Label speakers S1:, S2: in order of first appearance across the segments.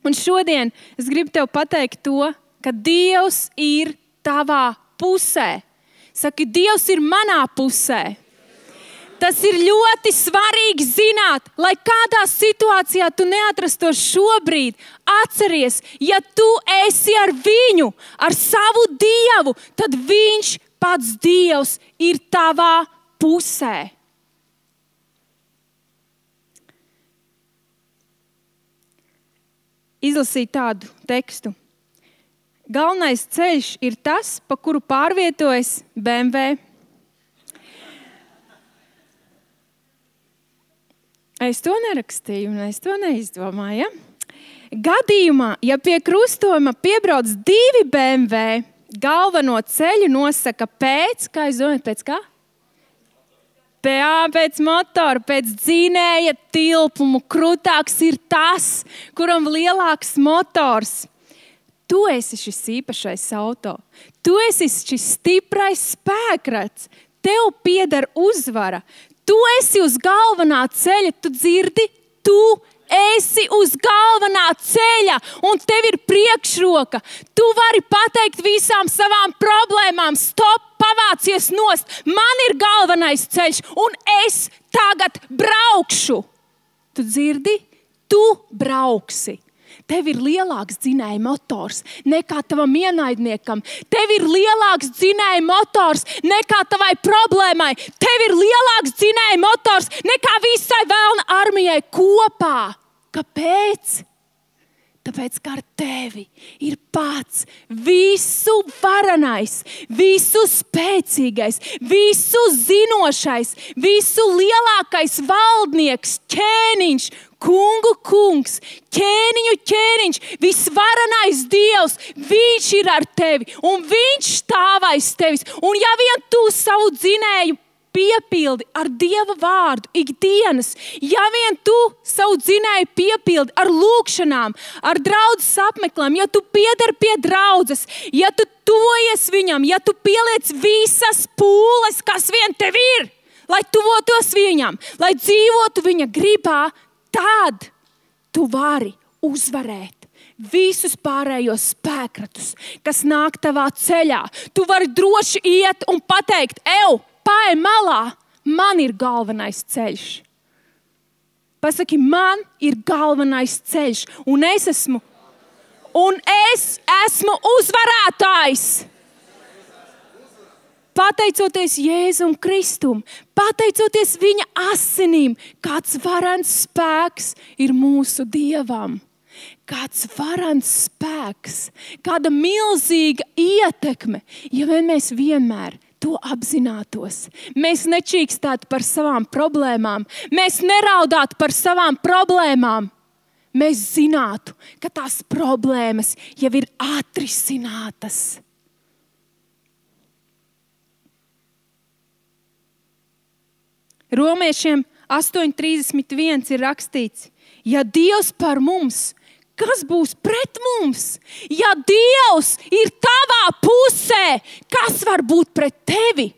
S1: Un šodien es gribu tev pateikt to, ka Dievs ir tavā pusē. Saki, Dievs ir manā pusē. Tas ir ļoti svarīgi zināt, lai kādā situācijā tu neatrastos šobrīd. Atceries, ja tu esi ar viņu, ar savu Dievu, tad viņš pats Dievs ir tavā pusē. Izlasīju tādu tekstu. Galvenais ceļš ir tas, pa kuru pārvietojas BMW. Es to nerakstīju un es to neizdomāju. Ja? Gadījumā, ja pie krustojuma piebrauc 2 BMW, galveno ceļu nosaka pēc, kā jūs domājat, pēc kā? Pēc motora, pēc dzinēja tilpumu. Krūtāks ir tas, kuram lielāks motors. Tu esi šis īpašais auto. Tu esi šis stiprais spēkrats. Tev pieder uzvara. Tu esi uz galvenā ceļa, tu dzirdi? Tu esi uz galvenā ceļa un tev ir priekšroka. Tu vari pateikt visām savām problēmām, stop, pavācies nost. Man ir galvenais ceļš un es tagad braukšu. Tu dzirdi? Tu brauksi. Tev ir lielāks dzinēja motors nekā tavam ienaidniekam. Tev ir lielāks dzinēja motors nekā tavai problēmai. Tev ir lielāks dzinēja motors nekā visai velna armijai kopā. Kāpēc? Tāpēc, ka ar tevi ir pats visu varenais, visu spēcīgais, visu zinošais, visu lielākais valdnieks, ķēniņš, kungu kungs, ķēniņu ķēniņš, visvarenais Dievs, viņš ir ar tevi un viņš stāv aiz tevis. Un ja vien tu savu dzinēju piepildi ar Dieva vārdu ikdienas, ja vien tu savu dzinēju piepildi ar lūkšanām, ar draudzes apmeklēm, ja tu piedari pie draudzes, ja tu tuvojies viņam, ja tu pieliec visas pūles, kas vien tev ir, lai tuvotos viņam, lai dzīvotu viņa gribā, tad tu vari uzvarēt visus pārējos spēkratus, kas nāk tavā ceļā. Tu vari droši iet un pateikt, Pāj malā, man ir galvenais ceļš. Pasaki, man ir galvenais ceļš, un es esmu uzvarētājs. Pateicoties Jēzum Kristum, pateicoties viņa asinīm, kāds varens spēks ir mūsu Dievam. Kāds varens spēks, kāda milzīga ietekme, ja vien mēs vienmēr to apzinātos. Mēs nečīkstātu par savām problēmām. Mēs neraudātu par savām problēmām. Mēs zinātu, ka tās problēmas jau ir atrisinātas. Romiešiem 8:31 ir rakstīts, ja Dievs par mums, kas būs pret mums? Ja Dievs ir tavā pusē, kas var būt pret tevi?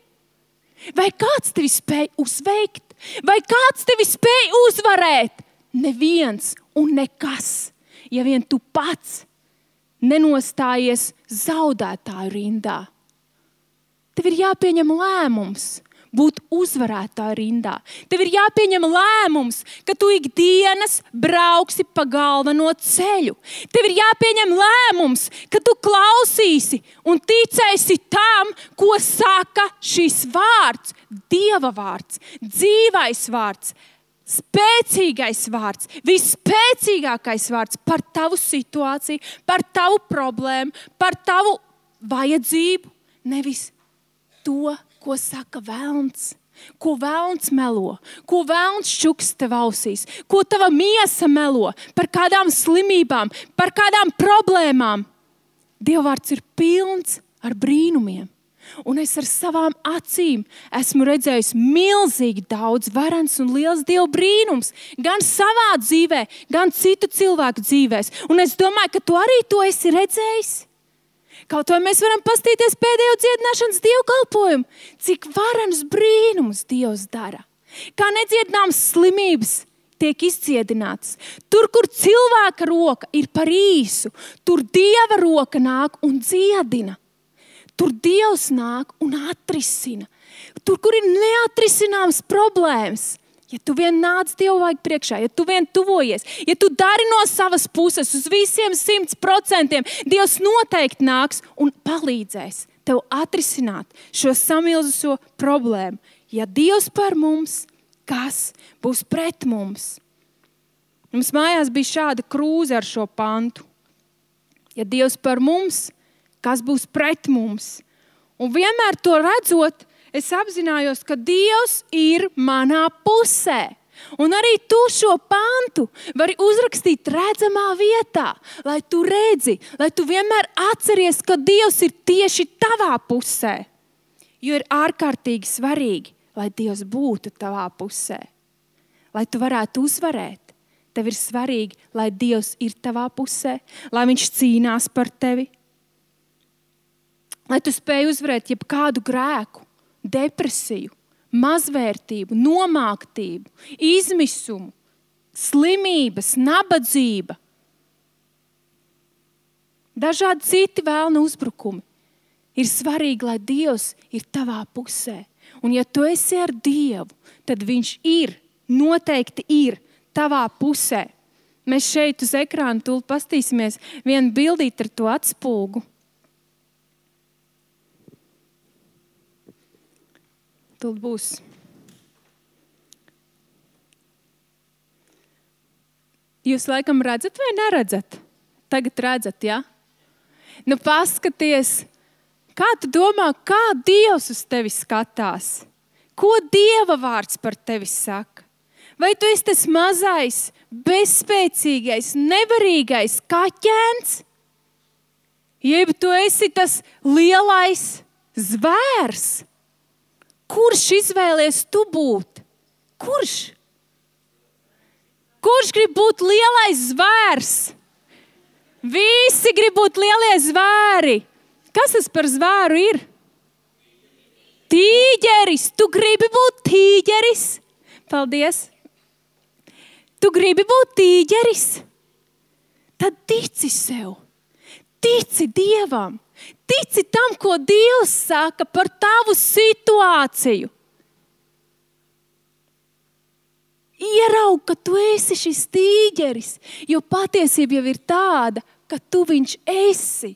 S1: Vai kāds tevi spēj uzveikt? Vai kāds tevi spēj uzvarēt? Neviens un nekas, ja vien tu pats nenostājies zaudētāju rindā. Tev ir jāpieņem lēmums būt uzvarētāju rindā. Tev ir jāpieņem lēmums, ka tu ikdienas brauksi pa galveno ceļu. Tev ir jāpieņem lēmums, ka tu klausīsi un ticēsi tam, ko saka šis vārds, Dieva vārds, dzīvais vārds, spēcīgais vārds, visspēcīgākais vārds par tavu situāciju, par tavu problēmu, par tavu vajadzību, nevis to, ko saka velns, ko velns melo, ko velns čuks tev ausīs, ko tava miesa melo par kādām slimībām, par kādām problēmām. Dievvvārds ir pilns ar brīnumiem. Un es ar savām acīm esmu redzējis milzīgi daudz varens un liels Dieva brīnums, gan savā dzīvē, gan citu cilvēku dzīvēs. Un es domāju, ka tu arī to esi redzējis. Kaut vai mēs varam pastīties pēdējo dziedināšanas dievkalpojumu, cik varenas brīnumus Dievs dara. Kā nedziedināmas slimības tiek izdziedinātas. Tur, kur cilvēka roka ir par īsu, tur Dieva roka nāk un dziedina. Tur Dievs nāk un atrisina. Tur, kur ir neatrisināmas problēmas, ja tu vien nāc Dievu vajag priekšā, ja tu vien tuvojies, ja tu dari no savas puses uz visiem 100%, Dievs noteikti nāks un palīdzēs tev atrisināt šo samilzušo problēmu. Ja Dievs par mums, kas būs pret mums? Mums mājās bija šāda krūze ar šo pantu. Ja Dievs par mums, kas būs pret mums? Un vienmēr to redzot, es apzinājos, ka Dievs ir manā pusē. Un arī tu šo pantu vari uzrakstīt redzamā vietā, lai tu redzi, lai tu vienmēr atceries, ka Dievs ir tieši tavā pusē. Jo ir ārkārtīgi svarīgi, lai Dievs būtu tavā pusē. Lai tu varētu uzvarēt, tev ir svarīgi, lai Dievs ir tavā pusē, lai viņš cīnās par tevi. Lai tu spēj uzvarēt jebkādu grēku, depresiju, mazvērtību, nomāktību, izmisumu, slimības, nabadzība. Dažādi citi vēlna uzbrukumi. Ir svarīgi, lai Dievs ir tavā pusē. Un ja tu esi ar Dievu, tad viņš noteikti ir tavā pusē. Mēs šeit uz ekrāna tūlīt pastīsimies vienu bildīt ar to atspulgu. Tūlīt būs. Jūs laikam redzat vai neredzat? Tagad redzat, ja? Nu paskaties, kā tu domā, kā Dievs uz tevi skatās? Ko Dieva vārds par tevi saka? Vai tu esi tas mazais, bezspēcīgais, nevarīgais kaķēns? Jeb tu esi tas lielais zvērs? Kurš izvēlies tu būt? Kurš? Kurš grib būt lielais zvērs? Visi grib būt lielie zvēri. Kas tas par zvēru ir? Tīģeris. Tu gribi būt tīģeris? Paldies. Tu gribi būt tīģeris? Tad tici sev. Tici Dievam. Tici tam, ko Dievs saka par tavu situāciju. Ieraug, ka tu esi šis tīģeris, jo patiesība jau ir tāda, ka tu viņš esi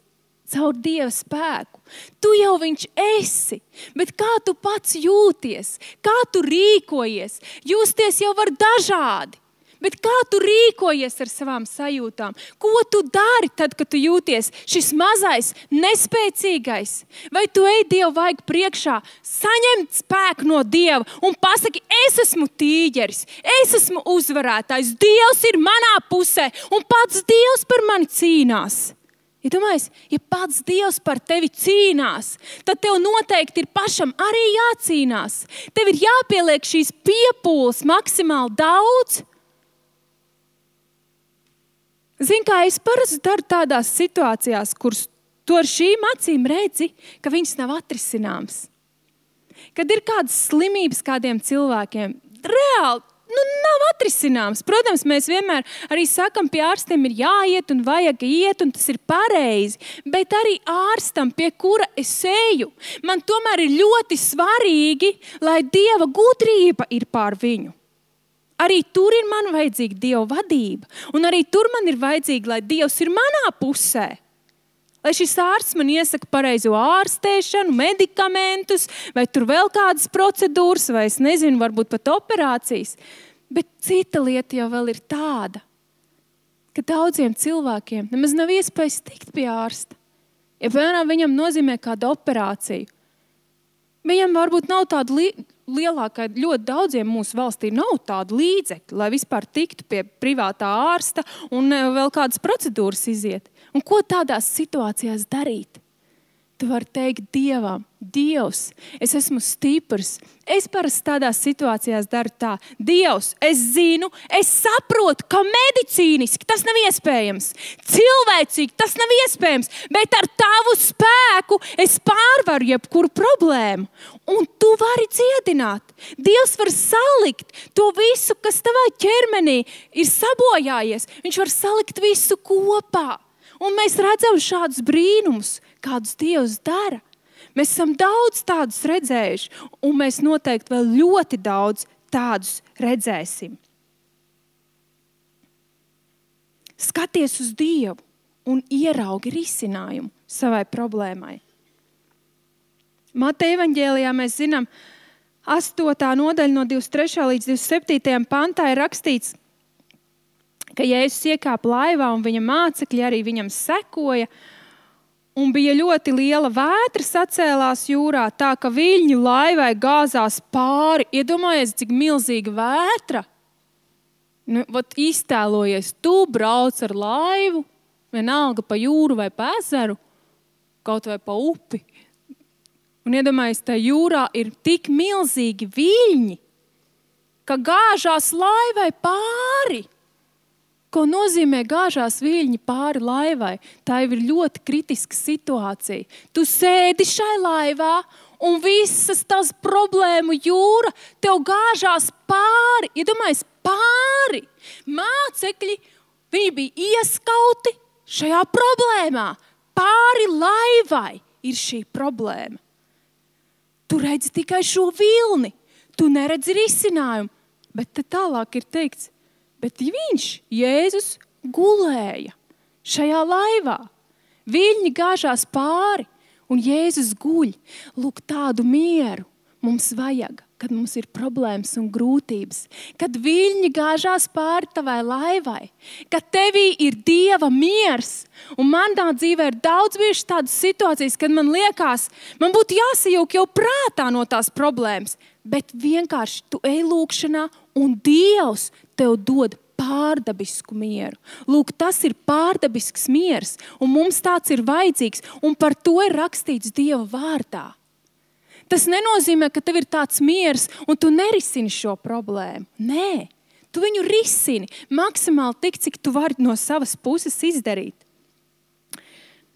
S1: caur Dieva spēku. Tu jau viņš esi, bet kā tu pats jūties, kā tu rīkojies, justies jau var dažādi. Bet kā tu rīkojies ar savām sajūtām? Ko tu dari tad, kad tu jūties šis mazais, nespēcīgais? Vai tu ej Dievu vajag priekšā, saņemt spēku no Dieva un pasaki, es esmu tīģeris, es esmu uzvarētājs, Dievs ir manā pusē un pats Dievs par mani cīnās. Ja domājies, ja pats Dievs par tevi cīnās, tad tev noteikti ir pašam arī jācīnās. Tev ir jāpieliek šīs piepūles maksimāli daudz. Zini, kā es parasti daru tādās situācijās, kuras tu ar šīm acīm redzi, ka viņas nav atrisināmas. Kad ir kādas slimības kādiem cilvēkiem, reāli nav atrisināmas. Protams, mēs vienmēr arī sakam, pie ārstiem ir jāiet un vajag iet, un tas ir pareizi. Bet arī ārstam, pie kura es eju, man tomēr ir ļoti svarīgi, lai Dieva gudrība ir pār viņu. Arī tur ir man vajadzīga Dieva vadība. Un arī tur man ir vajadzīga, lai Dievs ir manā pusē. Lai šis ārsts man iesaka pareizo ārstēšanu, medikamentus, vai tur vēl kādas procedūras, vai es nezinu, varbūt pat operācijas. Bet cita lieta jau vēl ir tāda, ka daudziem cilvēkiem nemaz nav iespējas tikt pie ārsta. Ja, piemēram, viņam nozīmē kādu operāciju, viņam varbūt nav tāda lielākā, ļoti daudziem mūsu valstī nav tādu līdzekļu, lai vispār tiktu pie privātā ārsta un vēl kādas procedūras iziet. Un ko tādās situācijās darīt? tu vari teikt Dievam, Dievs, es esmu stiprs. Es parasti tādās situācijās daru tā. Dievs, es zinu, es saprotu, ka medicīniski tas nav iespējams. Cilvēcīgi tas nav iespējams, bet ar tavu spēku es pārvaru jebkuru problēmu. Un tu vari dziedināt. Dievs var salikt to visu, kas tavā ķermenī ir sabojājies. Viņš var salikt visu kopā. Un mēs redzam šādus brīnumus, kādus Dievs dara. Mēs esam daudz tādus redzējuši, un mēs noteikti vēl ļoti daudz tādus redzēsim. Skaties uz Dievu un ieraugi risinājumu savai problēmai. Mateja evaņģēlijā mēs zinām, 8. nodaļa no 23. līdz 27. pantā ir rakstīts, ka Jēzus iekāpa laivā un viņa mācekļi arī viņam sekoja. Un bija ļoti liela vētra sacēlās jūrā, tā ka viļņi laivai gāzās pāri. Iedomājies, cik milzīga vētra. Iztēlojies, tu brauc ar laivu, vienalga pa jūru vai pa ezeru, kaut vai pa upi. Un iedomājies, tā jūrā ir tik milzīgi viļņi, ka gāžās laivai pāri. Ko nozīmē gāžās viļņi pāri laivai? Tā jau ir ļoti kritiska situācija. Tu sēdi šai laivā un visas tās problēmu jūra tev gāžās pāri. Iedomājies, pāri. Mācekļi, viņi bija ieskauti šajā problēmā. Pāri laivai ir šī problēma. Tu redzi tikai šo vilni. Tu neredzi risinājumu. Bet te tālāk ir teikts, bet viņš, Jēzus, gulēja šajā laivā. Viļņi gāžās pāri un Jēzus guļ. Lūk, tādu mieru mums vajag, kad mums ir problēmas un grūtības. Kad viļņi gāžās pāri tavai laivai. Kad tevī ir Dieva miers. Un manā dzīvē ir daudz bijušas tādas situācijas, kad man liekas, man būtu jāsajūk jau prātā no tās problēmas. Bet vienkārši tu ej lūkšanā un Dievs tev dod pārdabisku mieru. Lūk, tas ir pārdabisks miers, un mums tāds ir vajadzīgs, un par to ir rakstīts Dieva vārdā. Tas nenozīmē, ka tev ir tāds miers, un tu nerisini šo problēmu. Nē, tu viņu risini maksimāli tik, cik tu vari no savas puses izdarīt.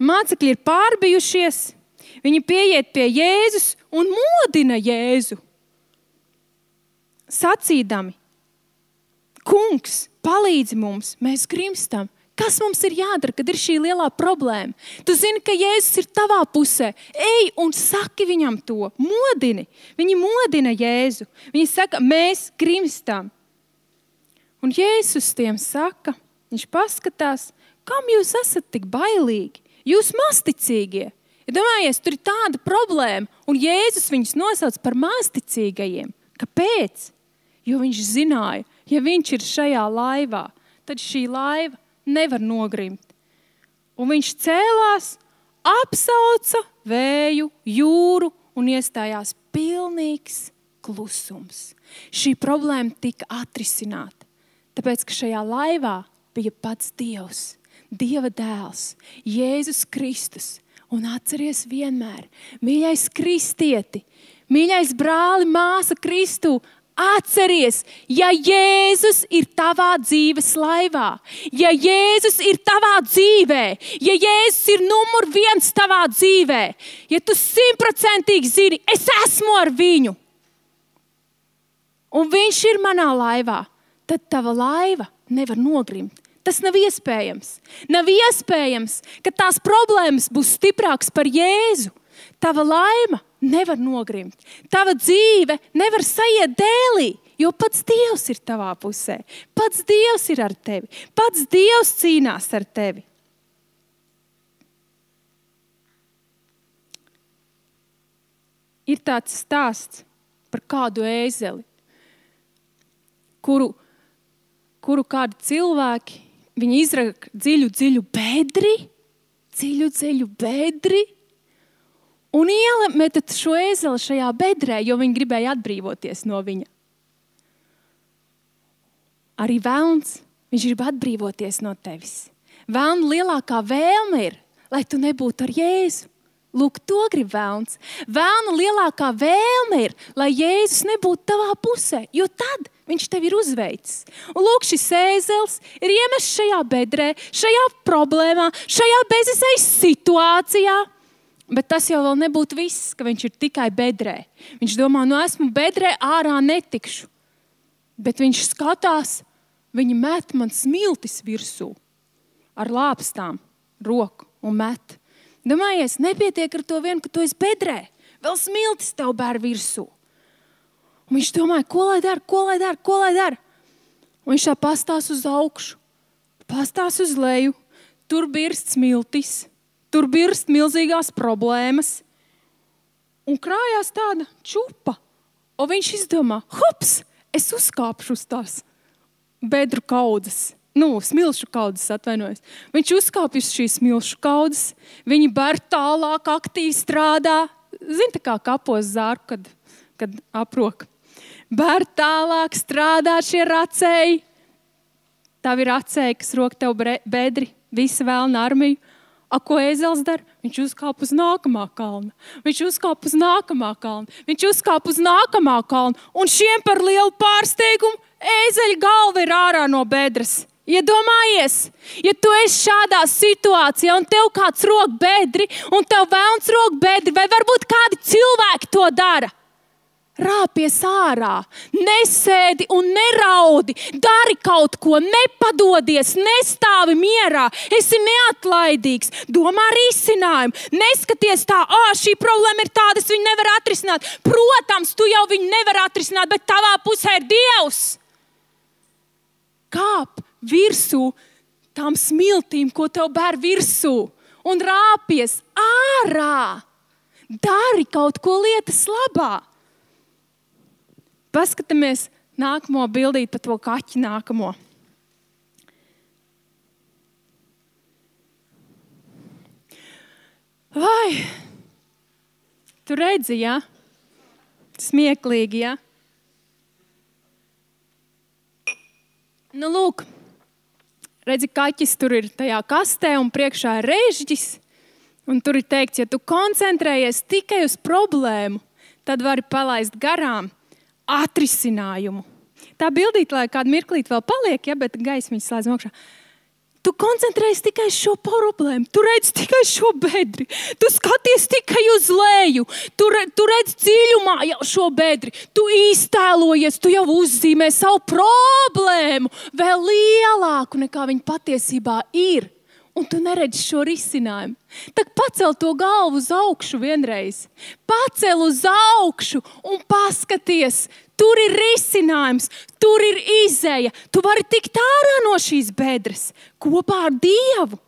S1: Mācekļi ir pārbijušies, viņi pieiet pie Jēzus un modina Jēzu. Sacīdami, Kungs, palīdzi mums, mēs grimstam. Kas mums ir jādara, kad ir šī lielā problēma? Tu zini, ka Jēzus ir tavā pusē. Ej un saki viņam to, modini. Viņi modina Jēzu. Viņi saka, mēs grimstam. Un Jēzus tiem saka, viņš paskatās, kam jūs esat tik bailīgi? Jūs masticīgie. Ja domājies, tur ir tāda problēma, un Jēzus viņus nosauc par masticīgajiem. Kāpēc? Jo viņš zināja, ja viņš ir šajā laivā, tad šī laiva nevar nogrimt. Un viņš cēlās, apsauca vēju, jūru un iestājās pilnīgs klusums. Šī problēma tika atrisināta, tāpēc, ka šajā laivā bija pats Dievs, Dieva dēls, Jēzus Kristus. Un atceries vienmēr, mīļais kristieti, mīļais brāli, māsa Kristū, atceries, ja Jēzus ir tavā dzīves laivā, ja Jēzus ir tavā dzīvē, ja Jēzus ir numur 1 tavā dzīvē, ja tu 100% zini, es esmu ar viņu, un viņš ir manā laivā, tad tava laiva nevar nogrimt. Tas nav iespējams. Nav iespējams, ka tās problēmas būs stiprākas par Jēzu. Tava laima nevar nogrimt. Tava dzīve nevar saiet dēlī, jo pats Dievs ir tavā pusē. Pats Dievs ir ar tevi. Pats Dievs cīnās ar tevi. Ir tāds stāsts par kādu ēzeli, kuru kādi cilvēki, viņi izraka dziļu bedri, un iemet šo ēzeli šajā bedrē, jo viņi gribēja atbrīvoties no viņa. Arī velns, viņš grib atbrīvoties no tevis. Velna lielākā vēlme ir, lai tu nebūtu ar Jēzu. Lūk, to grib velns. Velna lielākā vēlme ir, lai Jēzus nebūtu tavā pusē, jo tad viņš tevi ir uzveicis. Un lūk, šis ēzelis ir iemests šajā bedrē, šajā problēmā, šajā bezizējas situācijā. Bet tas jau vēl nebūtu viss, ka viņš ir tikai bedrē. Viņš domā, esmu bedrē, ārā netikšu. Bet viņš skatās, viņi met man smiltis virsū ar lāpstām, roku un met. Domājies, nepietiek ar to vien, ka tu esi bedrē. Vēl smiltis tev bēr virsū. Un viņš domāja, ko lai dara? Un viņš tā pastās uz augšu, pastās uz leju. Tur birst smiltis, tur birst milzīgās problēmas. Un krājās tāda čupa. Un viņš izdomā, hops, es uzkāpšu uz tās bedru kaudzes. Smilšu kaudzes, atvainojos. Viņš uzkāpj uz šīs smilšu kaudzes, viņi ber tālāk, aktīvi strādā. Zini, tā kā kapos zārku, kad aprok. Ber tālāk, strādā šie racēji. Tavi racēji, kas rok tev bedri, visa vēlna armiju. Ko ēzelis dara? Viņš uzkāp uz nākamā kalna. Viņš uzkāp uz nākamā kalna. Un šiem par lielu pārsteigumu ēzeļa galva ir ārā no bedres. Iedomājies, ja tu esi šādā situācijā un tev kāds rok bedri un tev velns rok bedri, vai varbūt kādi cilvēki to dara. Rāpies ārā, nesēdi un neraudi, dari kaut ko, nepadodies, nestāvi mierā, esi neatlaidīgs, domā risinājumu, neskaties tā, šī problēma ir tāda, es viņu nevaru atrisināt. Protams, tu jau viņu nevari atrisināt, bet tavā pusē ir Dievs. Kāp virsū tām smiltīm, ko tev bēr virsū, un rāpies ārā. Dari kaut ko lietas labā. Paskatāmies nākamo bildīt par to kaķi nākamo. Vai, tu redzi, ja? Smieklīgi, ja? Lūk, redzi, kaķis tur ir tajā kastē un priekšā ir režģis. Un tur ir teikts, ja tu koncentrējies tikai uz problēmu, tad vari palaist garām atrisinājumu. Tā bildīt, lai kādu mirklīt vēl paliek, ja, bet gaismiņas slēdz mokšā. Tu koncentrējies tikai uz šo problēmu, tu redz tikai šo bedri, tu skaties tikai uz leju, tu redz dziļumā jau šo bedri, tu iztēlojies, tu jau uzzīmē savu problēmu vēl lielāku nekā viņa patiesībā ir. Un tu neredzi šo risinājumu. Tad pacel to galvu uz augšu vienreiz. Pacel uz augšu un paskaties. Tur ir risinājums, tur ir izeja. Tu vari tikt ārā no šīs bedres kopā ar Dievu.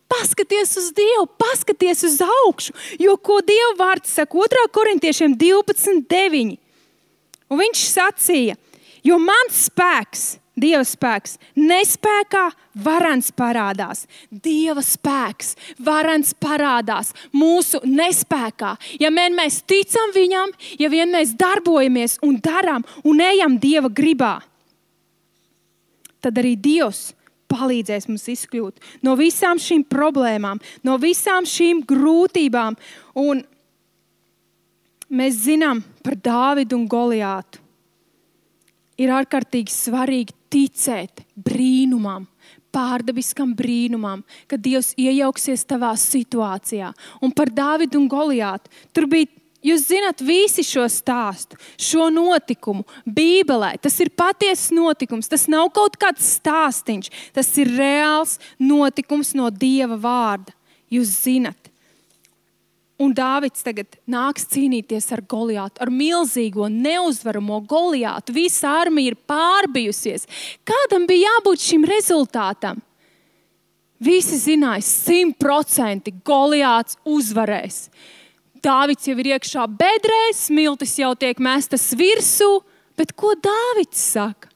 S1: Paskaties uz Dievu, paskaties uz augšu. Jo ko Dieva vārds saka 2. Korintiešiem 12:9. Un viņš sacīja, jo mans spēks, Dieva spēks, nespēkā varens parādās. Dieva spēks, varens parādās mūsu nespēkā. Ja vien mēs ticam viņam, ja vien mēs darbojamies un darām un ejam Dieva gribā, tad arī Dievs palīdzēs mums izkļūt no visām šīm problēmām, no visām šīm grūtībām. Un mēs zinām par Dāvidu un Goliātu. Ir ārkārtīgi svarīgi ticēt brīnumam, pārdabiskam brīnumam, kad Dievs iejauksies tavā situācijā. Un par Dāvidu un Goliātu. Tur bija, jūs zināt, visi šo stāstu, šo notikumu Bībelē. Tas ir patiesas notikums, tas nav kaut kāds stāstiņš. Tas ir reāls notikums no Dieva vārda. Jūs zināt. Un Dāvids tagad nāks cīnīties ar Goliātu, ar milzīgo, neuzvaramo Goliātu. Visa armija ir pārbijusies. Kādam bija jābūt šim rezultātam? Visi zināja, 100% Goliāts uzvarēs. Dāvids jau ir iekšā bedrē, smiltis jau tiek mestas virsū, bet ko Dāvids saka?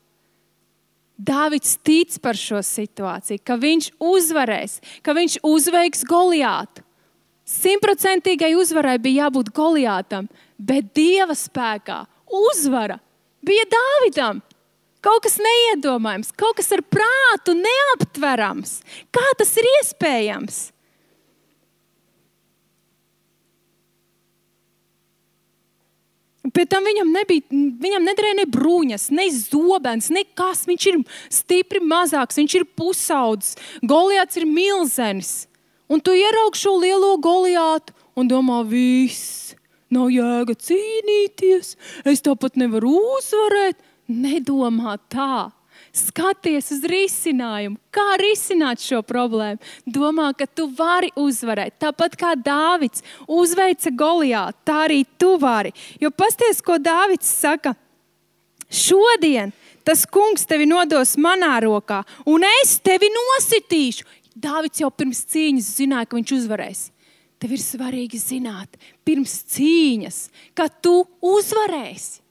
S1: Dāvids tic par šo situāciju, ka viņš uzvarēs, ka viņš uzveiks Goliātu. 100% uzvarai bija jābūt Goliātam, bet Dieva spēkā uzvara bija Dāvidam. Kaut kas neiedomājams, kaut kas ar prātu neaptverams. Kā tas ir iespējams? Pēc tam viņam nederēja ne bruņas, ne zobens, nekas. Viņš ir stipri mazāks, viņš ir pusaudzis. Goliāts ir milzenis. Un tu ieraugi šo lielo Goliātu un domā, viss, nav jēga cīnīties, es tāpat nevaru uzvarēt. Nedomā tā. Skaties uz risinājumu. Kā risināt šo problēmu? Domā, ka tu vari uzvarēt. Tāpat kā Dāvids uzveica Goliātu, tā arī tu vari. Jo pasties, ko Dāvids saka. Šodien tas kungs tevi nodos manā rokā, un es tevi nositīšu. Dāvids jau pirms cīņas zināja, ka viņš uzvarēs. Tev ir svarīgi zināt, pirms cīņas, ka tu uzvarēsi.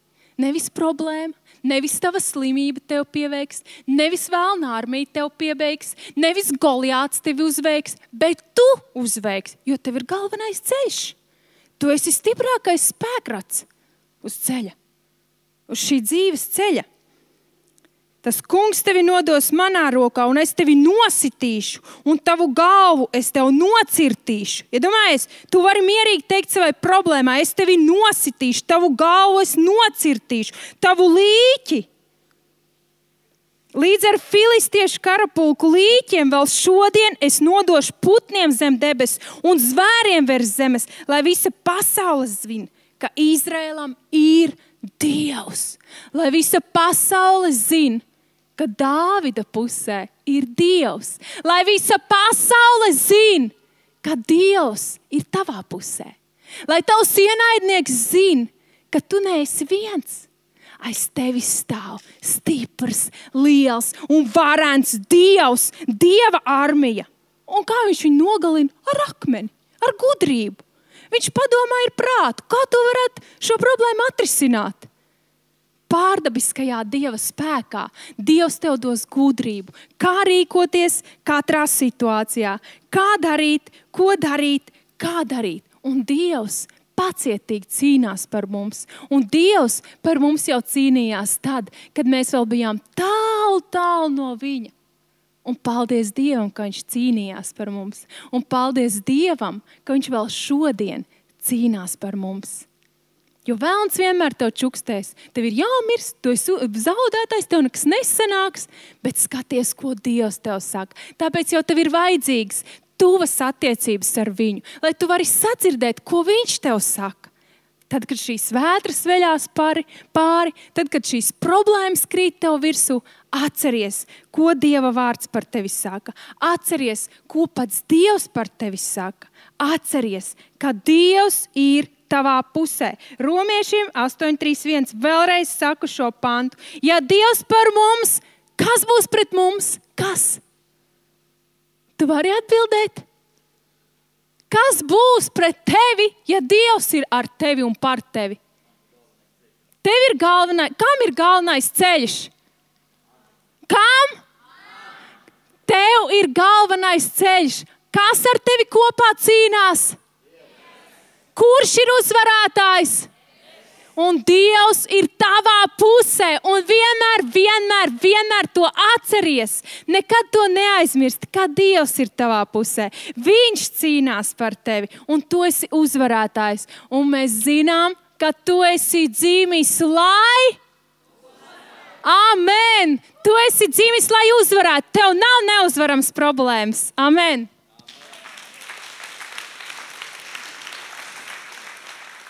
S1: Nevis problēma. Nevis tava slimība tev pieveiks, nevis vēlna armija tev piebeigs, nevis Goliāts tevi uzveiks, bet tu uzveiks, jo tev ir galvenais ceļš. Tu esi stiprākais spēkrats uz ceļa, uz šī dzīves ceļa. Tas kungs tevi nodos manā rokā, un es tevi nositīšu, un tavu galvu es tev nocirtīšu. Iedomājies, tu vari mierīgi teikt savai problēmai, es tevi nositīšu, tavu galvu es nocirtīšu, tavu līķi. Līdz ar filistiešu karapulku līķiem vēl šodien es nodošu putniem zem debes un zvēriem virs zemes, lai visa pasaule zina, ka Izraēlam ir Dievs. Lai visa pasaule zina, ka Dāvida pusē ir Dievs. Lai visa pasaule zina, ka Dievs ir tavā pusē. Lai tavs ienaidnieks zina, ka tu neesi viens. Aiz tevi stāv stiprs, liels un varens Dievs, Dieva armija. Un kā viņš viņu nogalina? Ar akmeni, ar gudrību. Viņš padomā ir prātu, kā tu varētu šo problēmu atrisināt. Pārdabiskajā Dieva spēkā Dievs tev dos gudrību, kā rīkoties katrā situācijā, kā darīt, ko darīt, kā darīt. Un Dievs pacietīgi cīnās par mums. Un Dievs par mums jau cīnījās tad, kad mēs vēl bijām tālu no viņa. Un paldies Dievam, ka viņš cīnījās par mums. Un paldies Dievam, ka viņš vēl šodien cīnās par mums. Jo vēlns vienmēr tev čukstēs. Tev ir jāmirst, tu esi zaudētais, tev nekas nesanāks, bet skaties, ko Dievs tev saka. Tāpēc jau tev ir vajadzīgs tuvas attiecības ar viņu, lai tu vari sadzirdēt, ko viņš tev saka. Tad, kad šīs vētras veļās pāri, tad, kad šīs problēmas krīt tev virsū, atceries, ko Dieva vārds par tevi saka. Atceries, ko pats Dievs par tevi saka. Atceries, ka Dievs ir tavā pusē. Romiešiem 8:3:1 vēlreiz saku šo pantu. Ja Dievs par mums, kas būs pret mums? Kas? Tu vari atbildēt? Kas būs pret tevi, ja Dievs ir ar tevi un par tevi? Tev ir kam ir galvenais ceļš? Kam? Tev ir galvenais ceļš. Kas ar tevi kopā cīnās? Kurš ir uzvarētājs? Un Dievs ir tavā pusē. Un vienmēr to atceries. Nekad to neaizmirsti, ka Dievs ir tavā pusē. Viņš cīnās par tevi. Un tu esi uzvarētājs. Un mēs zinām, ka tu esi dzīmis, lai... Amen! Tu esi dzīvis, lai uzvarētu. Tev nav neuzvarams problēmas. Amen!